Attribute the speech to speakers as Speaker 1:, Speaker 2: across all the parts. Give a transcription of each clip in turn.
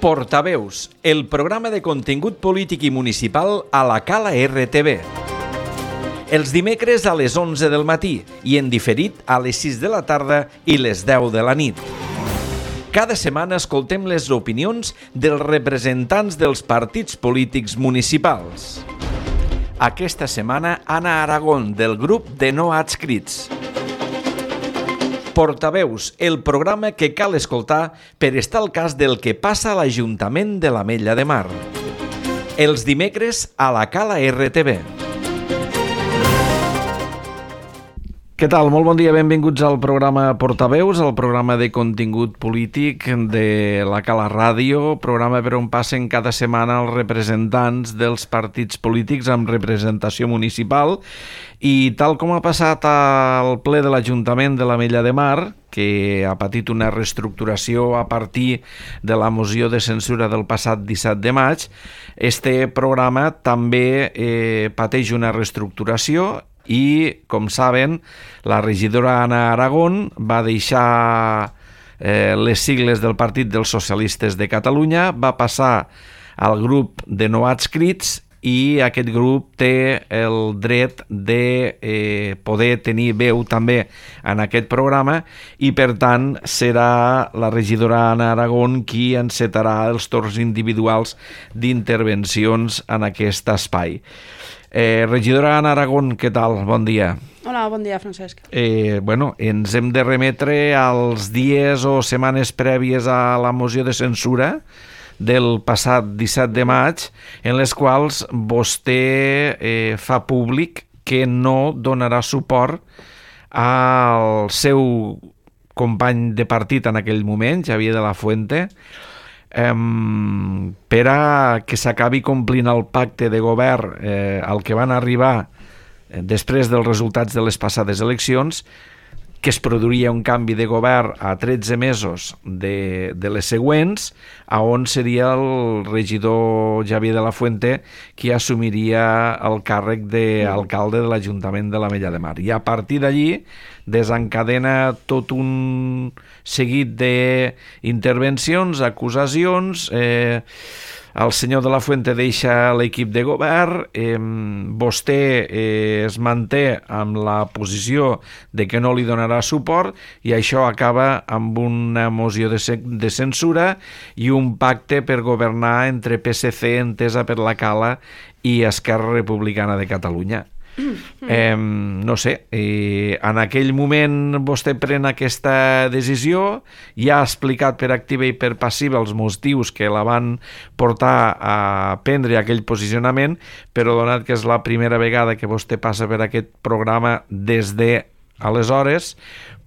Speaker 1: Portaveus, el programa de contingut polític i municipal a la Cala RTV. Els dimecres a les 11 del matí i en diferit a les 6 de la tarda i les 10 de la nit. Cada setmana escoltem les opinions dels representants dels partits polítics municipals. Aquesta setmana, Anna Aragón, del grup de no adscrits. Portaveus, el programa que cal escoltar per estar al cas del que passa a l'Ajuntament de l'Ametlla de Mar. Els dimecres a la Cala RTV. Què tal? Molt bon dia, benvinguts al programa Portaveus, el programa de contingut polític de la Cala Ràdio, programa per on passen cada setmana els representants dels partits polítics amb representació municipal. I tal com ha passat al ple de l'Ajuntament de l'Ametlla de Mar, que ha patit una reestructuració a partir de la moció de censura del passat 17 de maig, este programa també pateix una reestructuració i, com saben, la regidora Anna Aragón va deixar les sigles del Partit dels Socialistes de Catalunya, va passar al grup de no adscrits i aquest grup té el dret de poder tenir veu també en aquest programa i, per tant, serà la regidora Anna Aragón qui encetarà els torns individuals d'intervencions en aquest espai. Regidora Anna Aragón, què tal? Bon dia.
Speaker 2: Hola, bon dia, Francesc.
Speaker 1: Ens hem de remetre als dies o setmanes prèvies a la moció de censura del passat 17 de maig, en les quals vostè fa públic que no donarà suport al seu company de partit en aquell moment, Xavier de la Fuente, per a que s'acabi complint el pacte de govern al que van arribar després dels resultats de les passades eleccions, que es produiria un canvi de govern a 13 mesos de les següents, on seria el regidor Xavier de la Fuente qui assumiria el càrrec d'alcalde de l'Ajuntament de l'Ametlla de Mar. I a partir d'allí desencadena tot un seguit d'intervencions, acusacions. El senyor de la Fuente deixa l'equip de govern, vostè es manté amb la posició de que no li donarà suport i això acaba amb una moció de censura i un pacte per governar entre PSC, Entesa per la Cala, i Esquerra Republicana de Catalunya. No sé, en aquell moment vostè pren aquesta decisió, ja ha explicat per activa i per passiva els motius que la van portar a prendre aquell posicionament, però donat que és la primera vegada que vostè passa per aquest programa des de aleshores,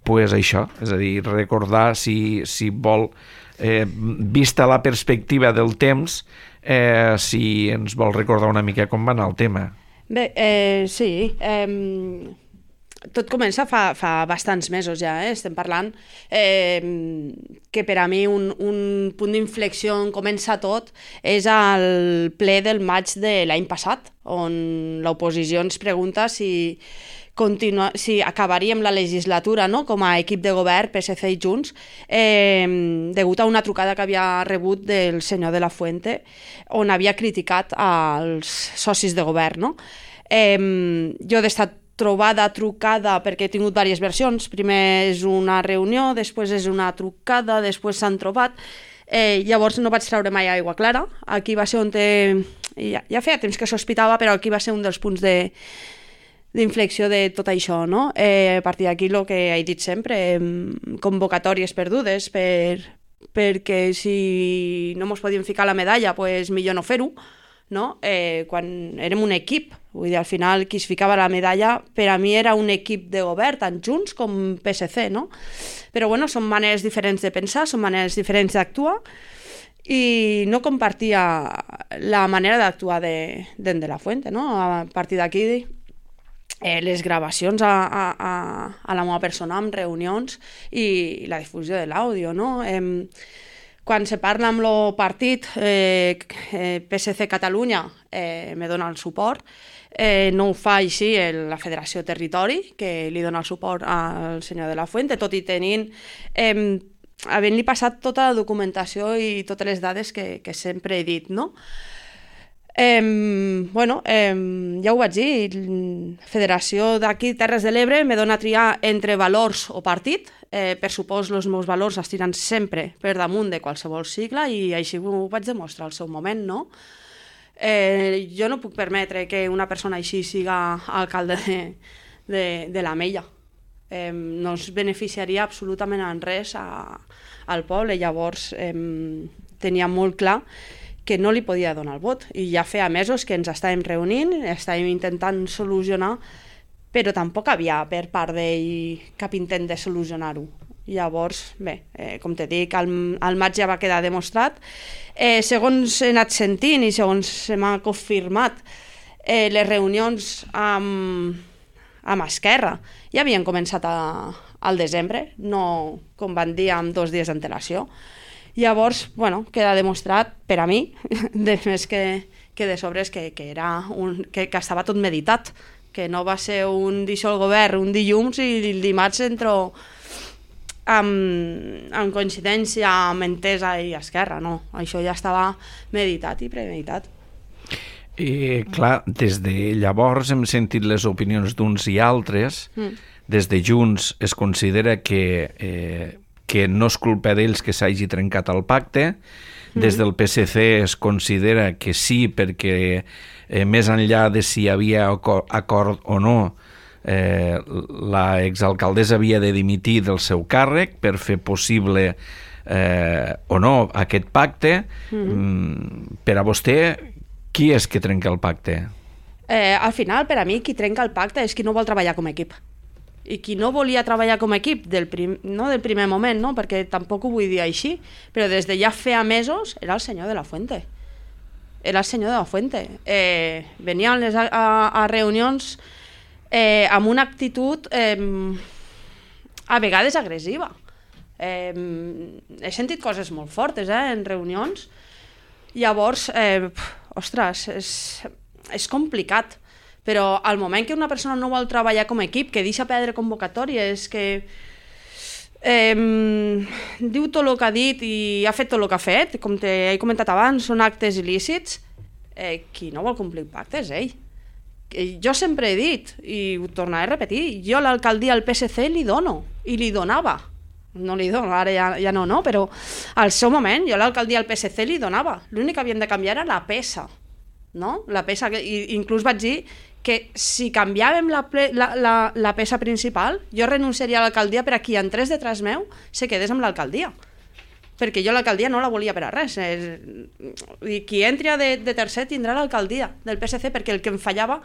Speaker 1: pues això, és a dir, recordar si vol, vista la perspectiva del temps, si ens vol recordar una mica com va anar el tema.
Speaker 2: Bé, sí, tot comença fa bastants mesos ja, estem parlant que per a mi un punt d'inflexió on comença tot és el ple del maig de l'any passat, on l'oposició ens pregunta si acabaríem la legislatura, no?, com a equip de govern, PSC i Junts, degut a una trucada que havia rebut del senyor de la Fuente, on havia criticat als socis de govern, no? Jo he estat trucada, perquè he tingut diverses versions. Primer és una reunió, després és una trucada, després s'han trobat. Llavors no vaig treure mai aigua clara. Aquí va ser on ja feia temps que sospitava, però aquí va ser un dels punts d'inflexió de tot això, no? A partir d'aquí, el que he dit sempre, convocatòries perdudes, perquè si no mos podíem ficar la medalla, pues millor no fer-ho, no? Quan érem un equip, vull dir, al final qui es ficava la medalla per a mi era un equip de govern, tant Junts com PSC, no? Però bueno, són maneres diferents de pensar, són maneres diferents d'actuar, i no compartia la manera d'actuar de la Fuente, no? A partir d'aquí les gravacions a la meva persona en reunions i la difusió de l'àudio, no? Quan se parla amb el partit PSC Catalunya me dona el suport, no ho fa així la Federació Territori, que li dona el suport al senyor de la Fuente, tot i tenint havent-li passat tota la documentació i totes les dades que sempre he dit, no? Ja ho vaig dir, Federació d'aquí Terres de l'Ebre me dona a triar entre valors o partit. Per supòs, els meus valors es tiren sempre per damunt de qualsevol sigla i així ho vaig demostrar al seu moment, no? Jo no puc permetre que una persona així siga alcalde de l'Ametlla. No es beneficiaria absolutament en res al poble. Llavors tenia molt clar que no li podia donar el vot. I ja feia mesos que ens estàvem reunint, estàvem intentant solucionar, però tampoc havia per part d'ell cap intent de solucionar-ho. Llavors, bé, com te dic, al maig ja va quedar demostrat. Segons he anat sentint i segons se m'ha confirmat, les reunions amb Esquerra ja havien començat al desembre, no com van dir amb 2 dies d'antelació. Llavors, queda demostrat per a mi, de més que de sobres, que estava tot meditat, que no va ser un dissol govern un dilluns i el dimarts entro amb coincidència, amb Entesa i Esquerra, no. Això ja estava meditat i premeditat.
Speaker 1: Clar, des de llavors hem sentit les opinions d'uns i altres. Des de Junts es considera que no és culpa d'ells que s'hagi trencat el pacte. Des del PSC es considera que sí, perquè més enllà de si hi havia acord o no, la exalcaldessa havia de dimitir del seu càrrec per fer possible o no aquest pacte. Per a vostè, qui és que trenca el pacte?
Speaker 2: Al final, per a mi, qui trenca el pacte és qui no vol treballar com a equip. I qui no volia treballar com a equip del primer moment, no? Perquè tampoc ho vull dir així, però des de ja feia mesos era el senyor de la Fuente. Era el senyor de la Fuente. Venien a reunions amb una actitud a vegades agressiva. He sentit coses molt fortes en reunions. Llavors, ostres, és complicat. Però al moment que una persona no vol treballar com a equip, que deixa perdre convocatòries, que diu tot el que ha dit i ha fet tot el que ha fet, com he comentat abans, són actes il·lícits, qui no vol complir el pacte és ell. Jo sempre he dit, i ho tornaré a repetir, jo l'alcaldia al PSC li dono, i li donava. No li dono, ara ja no, però al seu moment jo l'alcaldia al PSC li donava. L'únic que havíem de canviar era la peça, no? La peça, inclús vaig dir que si canviàvem la peça principal, jo renunciaria a l'alcaldia per a qui entrés detrás meu se quedés amb l'alcaldia. Perquè jo l'alcaldia no la volia per a res. I qui entri de tercer tindrà l'alcaldia del PSC, perquè el que em fallava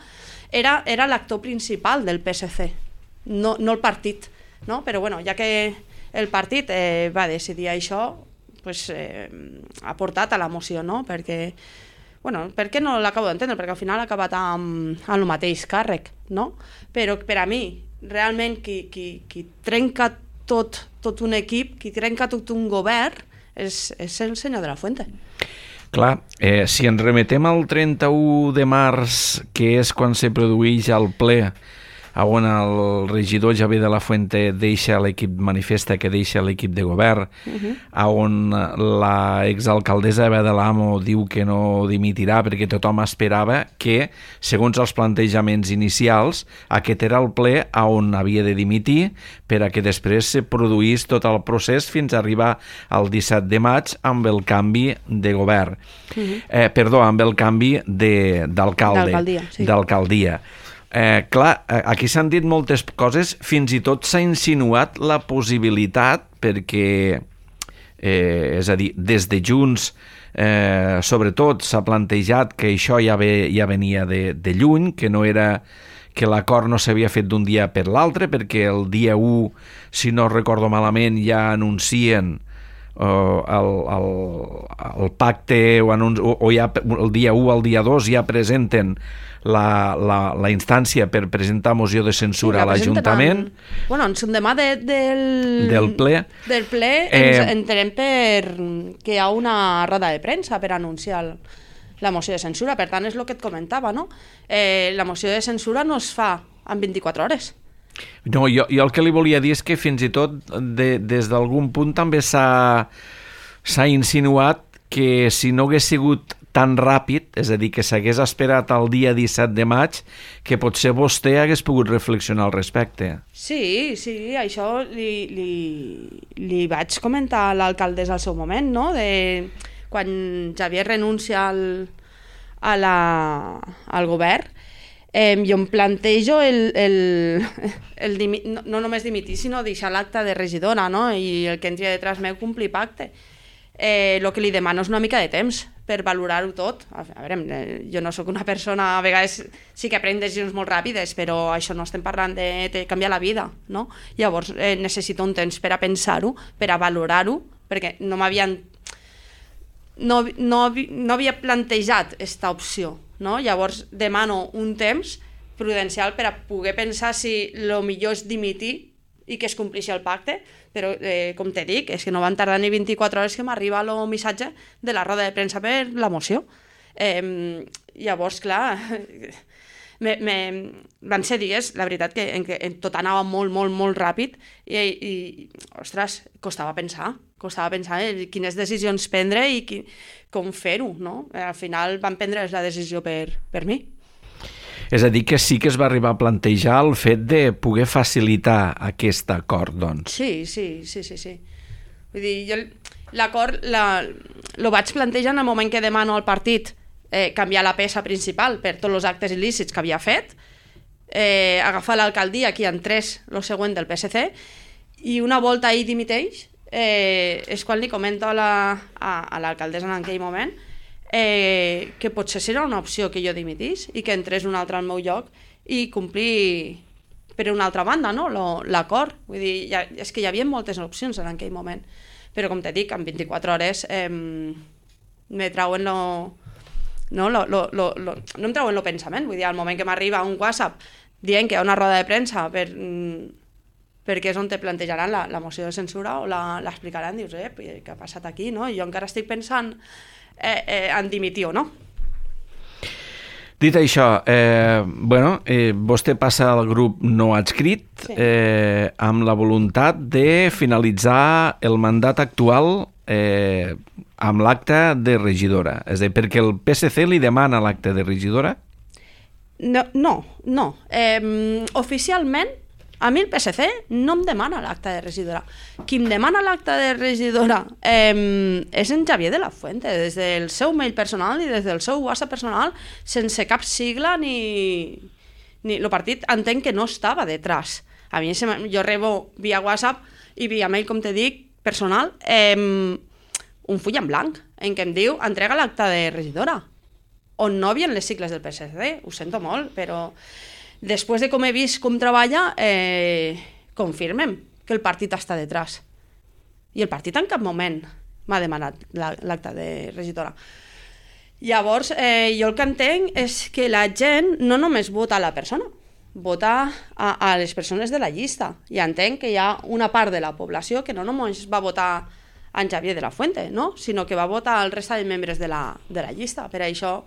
Speaker 2: era l'actor principal del PSC, no el partit. No? Però ja que el partit va decidir això, ha portat a la moció, no? Per què no l'acabo d'entendre? Perquè al final ha acabat amb el mateix càrrec, no? Però per a mi, realment, qui trenca tot un equip, qui trenca tot un govern, és el senyor de la Fuente.
Speaker 1: Clar, si ens remetem al 31 de març, que és quan se produeix el ple, on el regidor Javier de la Fuente deixa l'equip, manifesta que deixa l'equip de govern, on la exalcaldessa Eva de l'Amo diu que no dimitirà perquè tothom esperava que, segons els plantejaments inicials, aquest era el ple on havia de dimitir per a que després se produís tot el procés fins a arribar al 17 de maig amb el canvi de govern. Amb el canvi d'alcaldia. Clar, aquí s'han dit moltes coses, fins i tot s'ha insinuat la possibilitat, perquè, és a dir, des de Junts, sobretot s'ha plantejat que això ja venia de lluny, que l'acord no s'havia fet d'un dia per l'altre, perquè el dia 1, si no recordo malament, ja anuncien el pacte, o ja el dia 1 al dia 2 ja presenten la instància per presentar moció de censura a l'Ajuntament.
Speaker 2: En un demà del ple entenem que hi ha una roda de premsa per anunciar la moció de censura. Per tant, és el que et comentava, no? La moció de censura no es fa en 24 hores.
Speaker 1: No, jo el que li volia dir és que fins i tot des d'algun punt també s'ha insinuat que si no hagués sigut tan ràpid, és a dir, que s'hagués esperat al dia 17 de maig, que potser vostè hagués pogut reflexionar al respecte.
Speaker 2: Sí, això li vaig comentar a l'alcaldessa al seu moment, no? Quan Xavier renuncia al govern, jo em plantejo no només dimitir, sinó deixar l'acte de regidora, no? I el que entri detrás meu complir pacte. El que li demano és una mica de temps per valorar-ho tot. A veure, jo no sóc una persona, a vegades sí que prenc decisions molt ràpides, però això no estem parlant de canviar la vida, no? Llavors necessito un temps per a pensar-ho, per a valorar-ho, perquè no havia plantejat aquesta opció, no? Llavors demano un temps prudencial per a poder pensar si el millor és dimitir i que es compleixi el pacte, però com te dic, és que no van tardar ni 24 hores que m'arriba el missatge de la roda de premsa per la moció. Llavors, clar, van ser dies, la veritat, en què tot anava molt, molt, molt ràpid i ostres, costava pensar quines decisions prendre i com fer-ho, no? Al final van prendre la decisió per mi.
Speaker 1: És a dir, que sí que es va arribar a plantejar el fet de poder facilitar aquest acord, doncs.
Speaker 2: Sí. Vull dir, jo l'acord lo vaig plantejar en el moment que demano al partit canviar la peça principal per tots els actes il·lícits que havia fet, agafar l'alcaldia que entrés el següent del PSC, i una volta ell dimiteix, és quan li comento a l'alcaldessa en aquell moment que potser serà una opció que jo dimitís i que entrés un altre al meu lloc i complir per una altra banda, no? L'acord. Vull dir, és que hi havia moltes opcions en aquell moment, però com te dic, en 24 hores me trauen no em trauen el pensament. Vull dir, al moment que m'arriba un WhatsApp dient que hi ha una roda de premsa perquè és on te plantejaran la moció de censura o l'explicaran, dius, què ha passat aquí, no? I jo encara estic pensant en dimitir o no.
Speaker 1: Dit això, vostè passa al grup no adscrit amb la voluntat de finalitzar el mandat actual amb l'acte de regidora. És a dir, perquè el PSC li demana l'acte de regidora?
Speaker 2: No. Oficialment, a mi el PSC no em demana l'acte de regidora. Qui em demana l'acte de regidora és en Xavier de la Fuente, des del seu mail personal i des del seu WhatsApp personal, sense cap sigla ni el partit entenc que no estava detrás. A mi jo rebo via WhatsApp i via mail, com te dic, personal, un full en blanc en què em diu entrega l'acte de regidora, on no havien les sigles del PSC. Ho sento molt, però després de com he vist com treballa, confirmem que el partit està detrás. I el partit en cap moment m'ha demanat l'acte de regidora. Llavors, jo el que entenc és que la gent no només vota a la persona, vota a les persones de la llista. I entenc que hi ha una part de la població que no només va votar en Xavier de la Fuente, no? Sinó que va votar el resta de membres de la llista. Per això,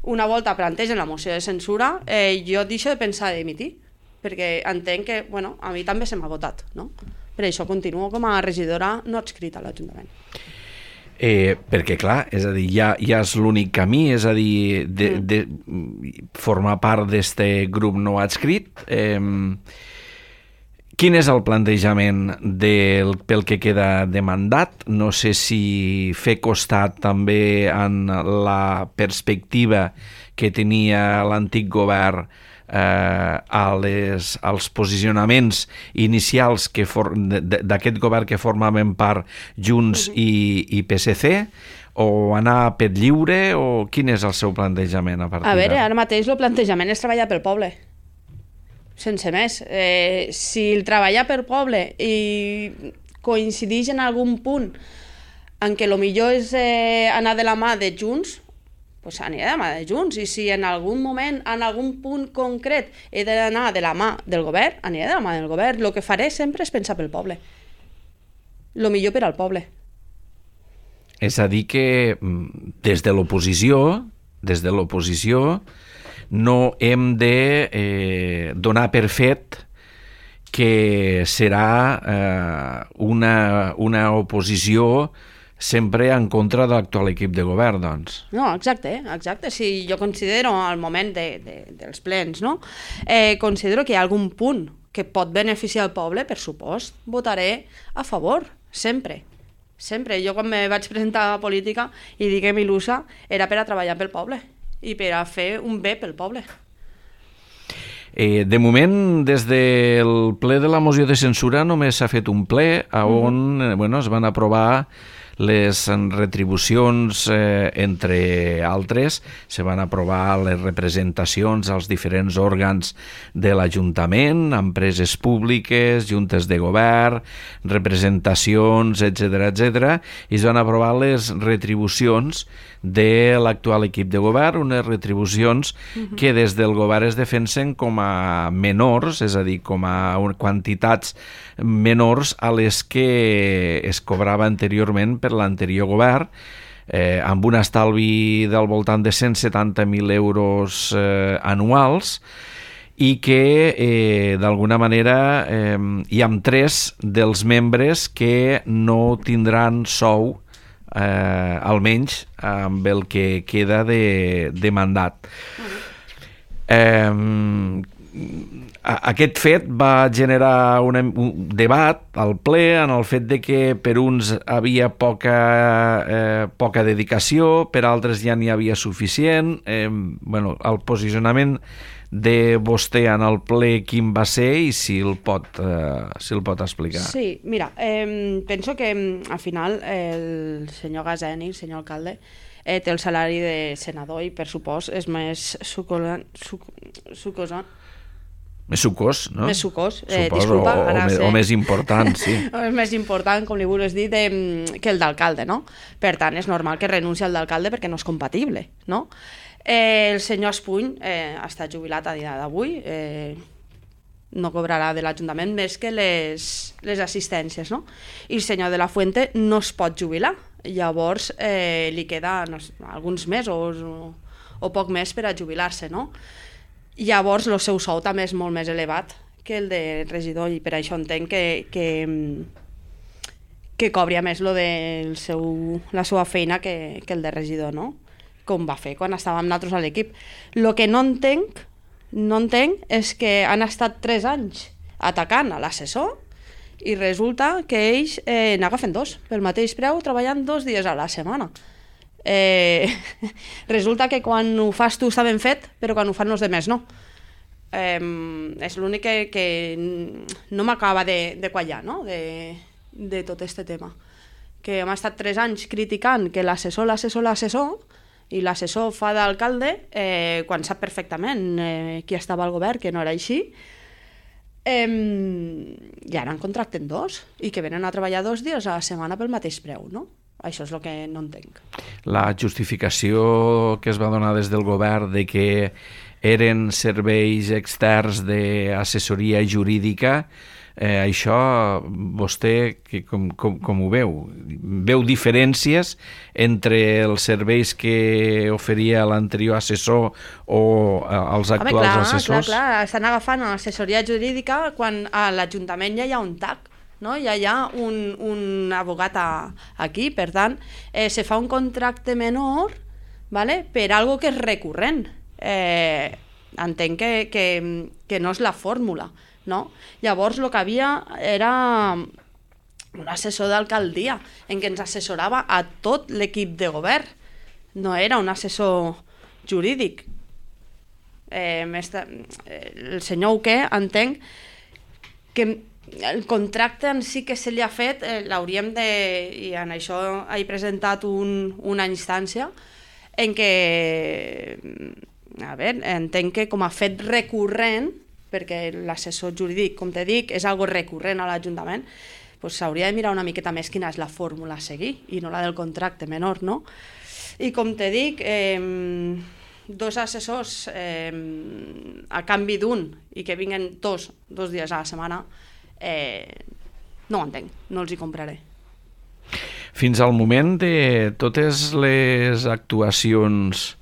Speaker 2: una volta plantegen la moció de censura, jo deixo de pensar de dimitir, perquè entenc que, a mi també se m'ha votat, no? Per això continuo com a regidora no adscrita a l'Ajuntament.
Speaker 1: Perquè, clar, és a dir, ja és l'únic camí, és a dir, de formar part d'aquest grup no adscrit. Quin és el plantejament pel que queda de mandat? No sé si fer costat també en la perspectiva que tenia l'antic govern als posicionaments inicials d'aquest govern que formaven part Junts i PSC, o anar per lliure, o quin és el seu plantejament a partir
Speaker 2: A veure, ara mateix el plantejament és treballar pel poble, sense més. Si el treballar per poble i coincideix en algun punt en què el millor és anar de la mà de Junts, doncs aniré de la mà de Junts, i si en algun moment, en algun punt concret he d'anar de la mà del govern, aniré de la mà del govern. El que faré sempre és pensar pel poble, el millor per al poble.
Speaker 1: És a dir que des de l'oposició no hem de donar per fet que serà una oposició sempre en contra de l'actual equip de govern, doncs.
Speaker 2: No, exacte. Si jo considero al moment dels plens, no? Considero que hi ha algun punt que pot beneficiar el poble, per supost, votaré a favor, sempre. Sempre. Jo quan me vaig presentar a política i diguem il·lusa, era per a treballar pel poble i per a fer un bé pel poble.
Speaker 1: De moment, des del ple de la moció de censura només s'ha fet un ple on es van aprovar les retribucions, entre altres, se van aprovar les representacions als diferents òrgans de l'Ajuntament, empreses públiques, juntes de govern, representacions, etc., i es van aprovar les retribucions de l'actual equip de govern, unes retribucions que des del govern es defensen com a menors, és a dir, com a quantitats menors a les que es cobrava anteriorment per l'anterior govern, amb un estalvi del voltant de 170.000 euros anuals, i que d'alguna manera hi ha 3 dels membres que no tindran sou, almenys amb el que queda de mandat. Aquest fet va generar un debat al ple en el fet de que per uns havia poca dedicació, per altres ja n'hi havia suficient. El posicionament de vostè en el ple quin va ser i si el pot explicar.
Speaker 2: Sí, mira, penso que al final el senyor Gaseni, el senyor alcalde, té el salari de senador i per supost és més
Speaker 1: més sucós, no?
Speaker 2: Més sucós,
Speaker 1: disculpa. O més important, sí.
Speaker 2: És més important, com li vulguis dir, que el d'alcalde, no? Per tant, és normal que renunci al d'alcalde perquè no és compatible, no? El senyor Espuny està jubilat a dia d'avui, no cobrarà de l'Ajuntament més que les assistències, no? I el senyor de la Fuente no es pot jubilar, llavors li queda alguns mesos o poc més per a jubilar-se, no? Llavors el seu sou també és molt més elevat que el de regidor i per això entenc que cobria més la seva feina que el de regidor, no? Com va fer quan estàvem nosaltres a l'equip. El que no entenc és que han estat 3 anys atacant a l'assessor i resulta que ells n'agafen 2 pel mateix preu, treballant 2 dies a la setmana. Resulta que quan ho fas tu està ben fet, però quan ho fan els demés no. És l'únic que no m'acaba de quallar, no? De tot este tema, que hem estat 3 anys criticant que l'assessor i l'assessor fa d'alcalde quan sap perfectament qui estava al govern, que no era així, i ara en contracten 2 i que venen a treballar 2 dies a la setmana pel mateix preu, no? Això és el que no entenc.
Speaker 1: La justificació que es va donar des del govern de que eren serveis externs d'assessoria jurídica, això vostè com ho veu? Veu diferències entre els serveis que oferia l'anterior assessor o els actuals assessors?
Speaker 2: Clar, estan agafant l'assessoria jurídica quan a l'Ajuntament ja hi ha un TAC, no? Ja hi ha un abogat aquí, per tant, se fa un contracte menor, ¿vale? Per algo que és recurrent. Entenc que no és la fórmula, no? Llavors el que havia era un assessor d'alcaldia en què ens assessorava a tot l'equip de govern, no era un assessor jurídic. El senyor Uqué entenc que el contracte en si que se li ha fet l'hauríem de, i en això he presentat una instància en què, entenc que com a fet recurrent, perquè l'assessor jurídic, com te dic, és algo recurrent a l'Ajuntament, doncs s'hauria de mirar una miqueta més quina és la fórmula a seguir i no la del contracte menor, no? I com te dic, 2 assessors a canvi d'un i que vinguen 2 dies a la setmana, no ho entenc, no els hi compraré.
Speaker 1: Fins al moment de totes les actuacions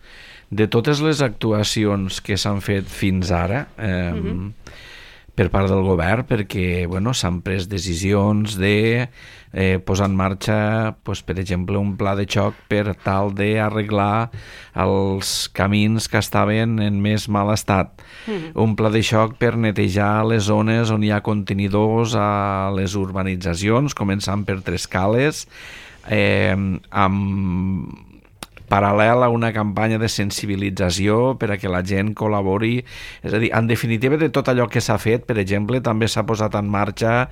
Speaker 1: que s'han fet fins ara, per part del govern, perquè s'han pres decisions de posar en marxa, per exemple, un pla de xoc per tal d'arreglar els camins que estaven en més mal estat. Un pla de xoc per netejar les zones on hi ha contenidors a les urbanitzacions, començant per Trescales, amb paral·lel a una campanya de sensibilització per a que la gent col·labori. És a dir, en definitiva, de tot allò que s'ha fet, per exemple, també s'ha posat en marxa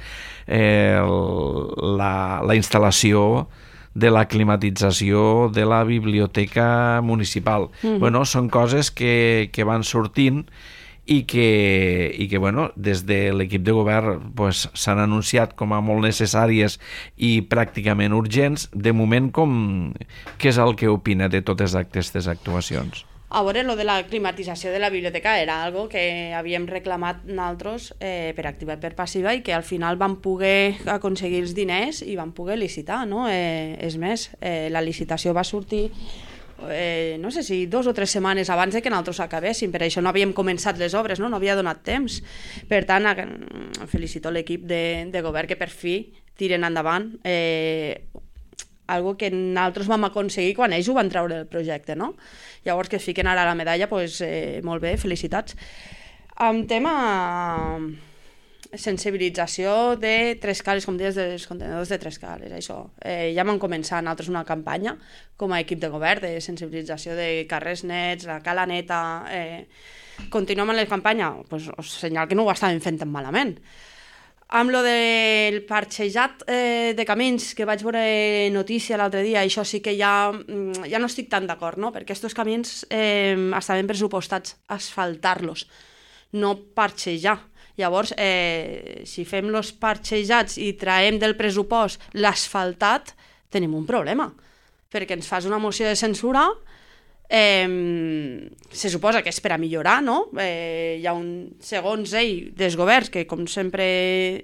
Speaker 1: la instal·lació de la climatització de la biblioteca municipal. Són coses que van sortint i que des de l'equip de govern s'han anunciat com a molt necessàries i pràcticament urgents. De moment, què és el que opina de totes aquestes actuacions?
Speaker 2: A veure, lo de la climatització de la biblioteca era algo que havíem reclamat nosaltres per activa i per passiva, i que al final vam poder aconseguir els diners i vam poder licitar, no? És més, la licitació va sortir no sé si 2 o 3 setmanes abans de que nosaltres acabéssim, per això no havíem començat les obres, no havia donat temps. Per tant, felicito l'equip de govern que per fi tiren endavant algo que nosaltres vam aconseguir quan ells ho van treure del projecte, no? Llavors, que fiquen ara la medalla, molt bé, felicitats. En tema sensibilització de Trescales, com deies, dels contenidors de Trescales, això. Ja vam començar nosaltres una campanya com a equip de govern de sensibilització de carrers nets, la cala neta. Continuem amb la campanya, us senyal que no ho estàvem fent tan malament. Amb lo del parxejat de camins, que vaig veure notícia l'altre dia, això sí que ja no estic tan d'acord, no? Perquè aquests camins estaven pressupostats asfaltar-los, no parxejar. Llavors, si fem els parxejats i traiem del pressupost l'asfaltat, tenim un problema, perquè ens fas una moció de censura, se suposa que és per a millorar, no? Hi ha segons ell, desgovern, que com sempre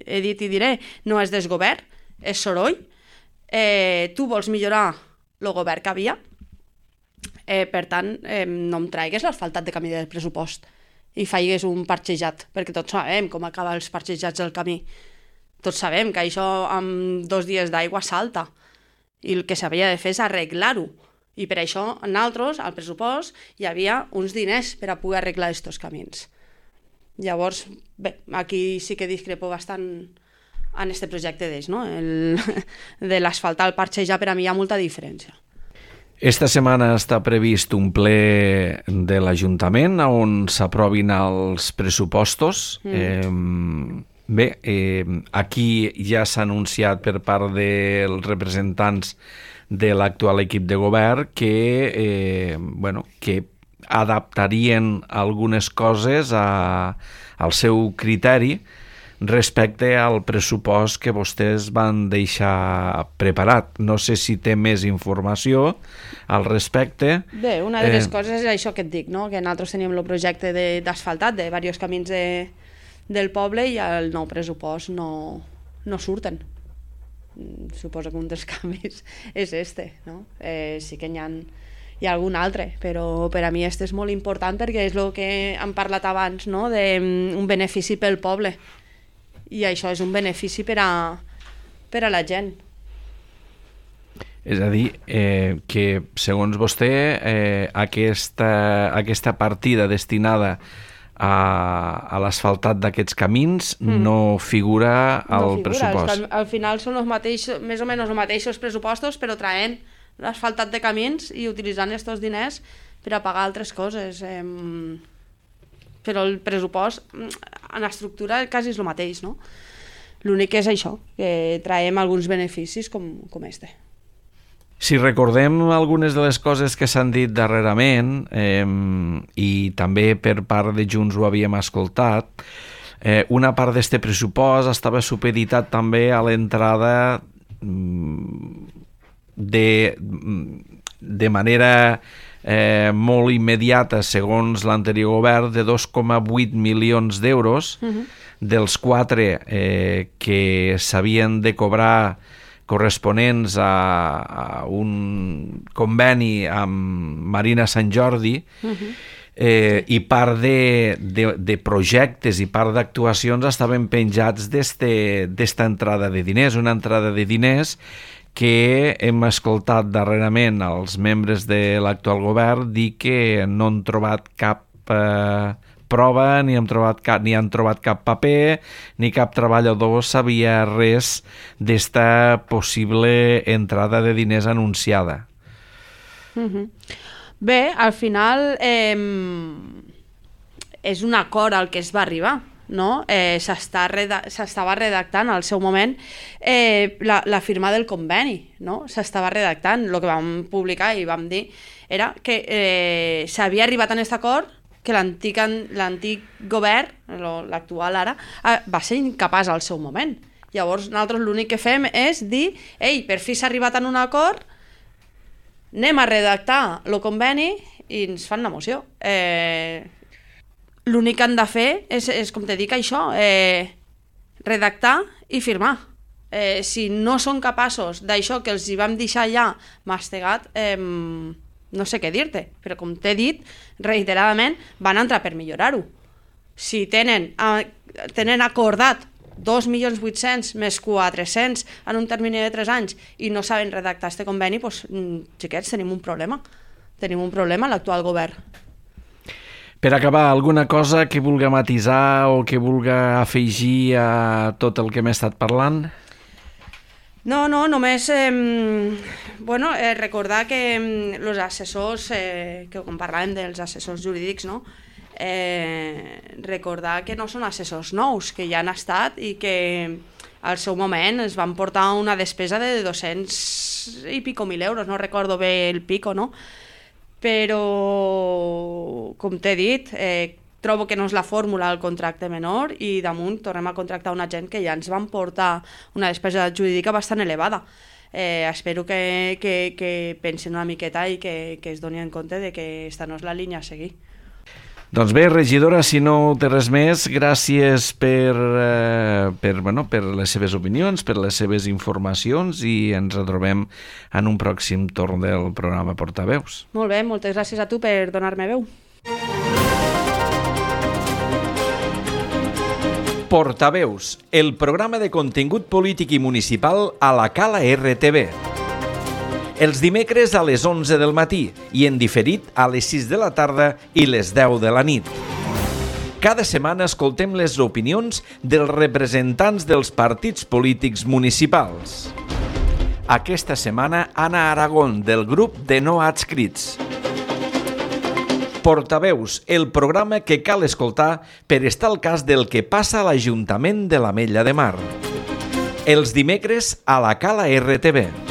Speaker 2: he dit i diré, no és desgovern, és soroll. Tu vols millorar el govern que havia, per tant, no em traigues l'asfaltat de camí del pressupost i faigues un parxejat, perquè tots sabem com acaben els parxejats del camí. Tots sabem que això amb 2 dies d'aigua salta, i el que s'havia de fer és arreglar-ho. I per això, nosaltres, al pressupost, hi havia uns diners per a poder arreglar aquests camins. Llavors, bé, aquí sí que discrepo bastant en aquest projecte d'ells, no? De l'asfaltar el parxejar, per a mi hi ha molta diferència.
Speaker 1: Esta setmana està previst un ple de l'Ajuntament on s'aprovin els pressupostos. Bé, aquí ja s'ha anunciat per part dels representants de l'actual equip de govern que adaptarien algunes coses al seu criteri respecte al pressupost que vostès van deixar preparat. No sé si té més informació al respecte.
Speaker 2: Bé, una de les coses és això que et dic, no? Que nosaltres teníem el projecte d'asfaltat de diversos camins del poble i el nou pressupost no surten. Suposo que un dels canvis és este, no? Sí que hi ha algun altre, però per a mi este és molt important perquè és el que hem parlat abans, no? D'un benefici pel poble. I això és un benefici per a la gent.
Speaker 1: És a dir, que segons vostè aquesta partida destinada a l'asfaltat d'aquests camins no figura al pressupost.
Speaker 2: Al final són més o menys els mateixos pressupostos, però traient l'asfaltat de camins i utilitzant aquests diners per a pagar altres coses. Però el pressupost en estructura quasi és el mateix, no? L'únic és això, que traiem alguns beneficis com este.
Speaker 1: Si recordem algunes de les coses que s'han dit darrerament, i també per part de Junts ho havíem escoltat, una part d'este pressupost estava supeditat també a l'entrada de manera molt immediata, segons l'anterior govern, de 2,8 milions d'euros, dels 4 que s'havien de cobrar corresponents a un conveni amb Marina Sant Jordi, i part de projectes i part d'actuacions estaven penjats d'esta entrada de diners, una entrada de diners que hem escoltat darrerament als membres de l'actual govern dir que no han trobat cap prova, ni han trobat cap paper, ni cap treballador sabia res d'esta possible entrada de diners anunciada.
Speaker 2: Bé, al final és un acord al que es va arribar, no? S'estava redactant al seu moment la firma del conveni, no? S'estava redactant. El que vam publicar i vam dir era que s'havia arribat a aquest acord, que l'antic govern, l'actual ara, va ser incapaç al seu moment. Llavors nosaltres l'únic que fem és dir, ei, per fi s'ha arribat a un acord, anem a redactar el conveni i ens fan la moció. L'únic que han de fer és com te dic, això, redactar i firmar. Si no són capaços d'això que els hi vam deixar ja mastegat, no sé què dir-te, però com t'he dit, reiteradament van entrar per millorar-ho. Si tenen acordat 2.800.000 més 400 en un termini de 3 anys i no saben redactar aquest conveni, doncs, xiquets, tenim un problema. Tenim un problema a l'actual govern.
Speaker 1: Per acabar, alguna cosa que vulga matisar o que vulga afegir a tot el que hem estat parlant?
Speaker 2: No, només recordar que els assessors, que quan parlàvem dels assessors jurídics, no? Recordar que no són assessors nous, que ja han estat i que al seu moment es van portar una despesa de 200 i pico mil euros, no recordo bé el pico, no? Però, com t'he dit, trobo que no és la fórmula del contracte menor i damunt tornem a contractar una gent que ja ens van portar una despesa jurídica bastant elevada. Espero que pensin una miqueta i que es donin en compte de que aquesta no és la línia a seguir.
Speaker 1: Doncs bé, regidora, si no té res més, gràcies per les seves opinions, per les seves informacions i ens retrobem en un pròxim torn del programa Portaveus.
Speaker 2: Molt bé, moltes gràcies a tu per donar-me veu.
Speaker 1: Portaveus, el programa de contingut polític i municipal a la Cala RTV. Els dimecres a les 11 del matí i en diferit a les 6 de la tarda i les 10 de la nit. Cada setmana escoltem les opinions dels representants dels partits polítics municipals. Aquesta setmana, Anna Aragón, del grup de no adscrits. Portaveus, el programa que cal escoltar per estar al cas del que passa a l'Ajuntament de l'Ametlla de Mar. Els dimecres a la Cala RTV.